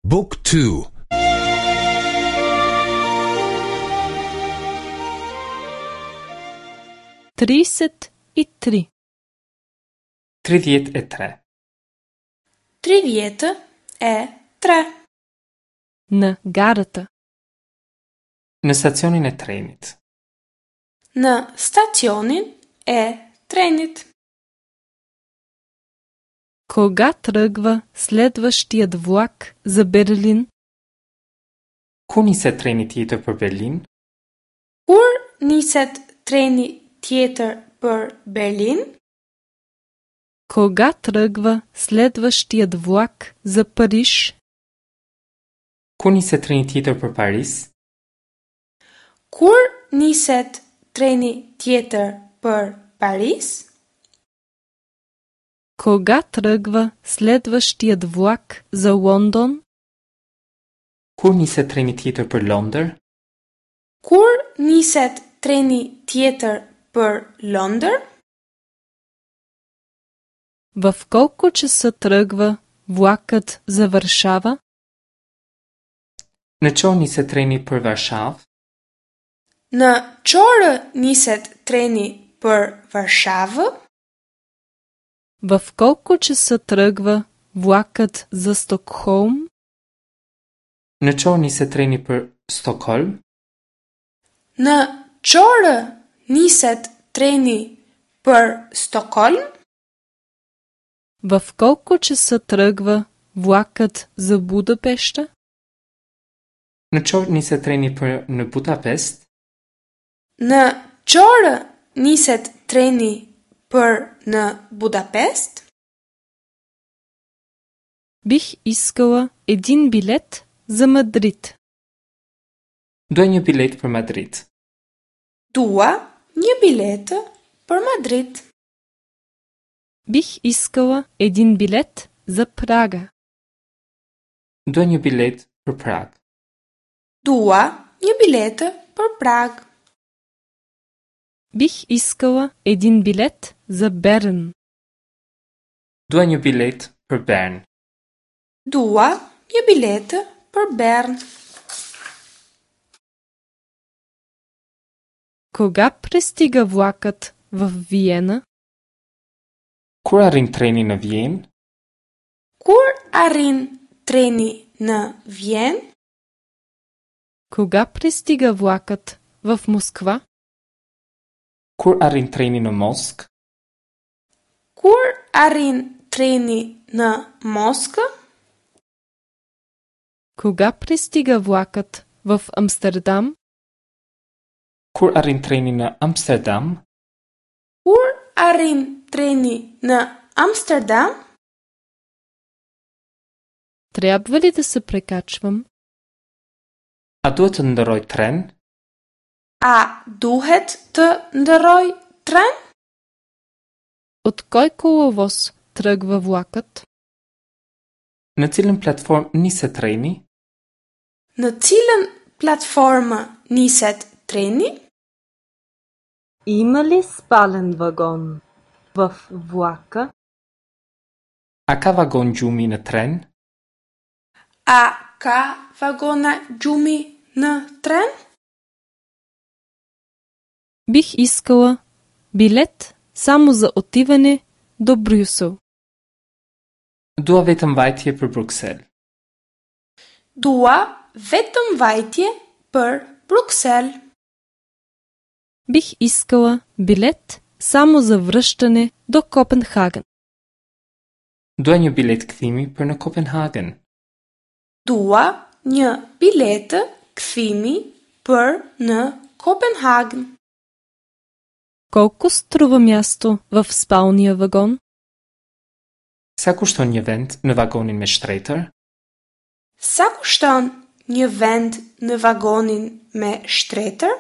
Book 2 33. 33. 33. Në garata. Në stacionin e trenit. Në stacionin e trenit. Кога тръгва следващият влак за Берлин? Kur niset treni tjetër për Berlin? Kur niset treni tjetër për Berlin? Кога тръгва следващият влак за Париж? Kur niset treni tjetër për Paris? Kur niset treni tjetër për Paris? Кога тръгва следващият влак за Лондон? Kur niset treni tjetër për Londër? Kur niset treni tjetër për Londër? В колко часа тръгва влакът за Варшава? Në ç'orë niset treni për Varshavë? Në ç'orë niset treni për Varshavë? В колко часа тръгва влакът за Стокхолм? Në ç'orë niset treni për Stockholm? Në ç'orë niset treni për Stockholm? В колко часа тръгва влакът за Будапеща? Në ç'orë niset treni për në Budapest? Në ç'orë niset treni për në Budapest? Бих искала един билет за Мадрид. Dua një biletë për Madrid. Dua një biletë për Madrid. Бих искала един билет за Прага. Dua një biletë për Prag. Dua një biletë për Prag. Бих искала един билет за Берн. Dua një biletë për Bern. Dua një biletë për Bern. Кога пристига влакът в Виена? Kur arrin treni në Vjenë? Kur arrin treni në Vjenë? Кога пристига влакът в Москва? Kur arrin treni në Moskë? Kur arrin treni në Moskë? Кога пристига влакът в Амстердам? Kur arrin treni në Amsterdam? Kur arrin treni në Amsterdam? Трябва ли да се прекачвам? A duhet të ndërroj tren? A duhet të ndërroj tren? От кой коловоз тръгва влакът? Në cilën platformë niset treni? Në cilën platformë niset treni? Има ли спален вагон в влака? A ka vagon gjumi në tren? A ka vagona gjumi në tren? Бих искала билет само за отиване до Брюсел. Dua vetëm vajtje për Bruksel. Dua vetëm vajtje për Bruksel. Бих искала билет само за връщане до Копенхаген. Dua një biletë kthimi për në Kopenhagen. Dua një biletë kthimi për në Kopenhagen. Колко струва място в спалния вагон? Sa kushton një vend në vagonin me shtretër? Sa kushton një vend në vagonin me shtretër?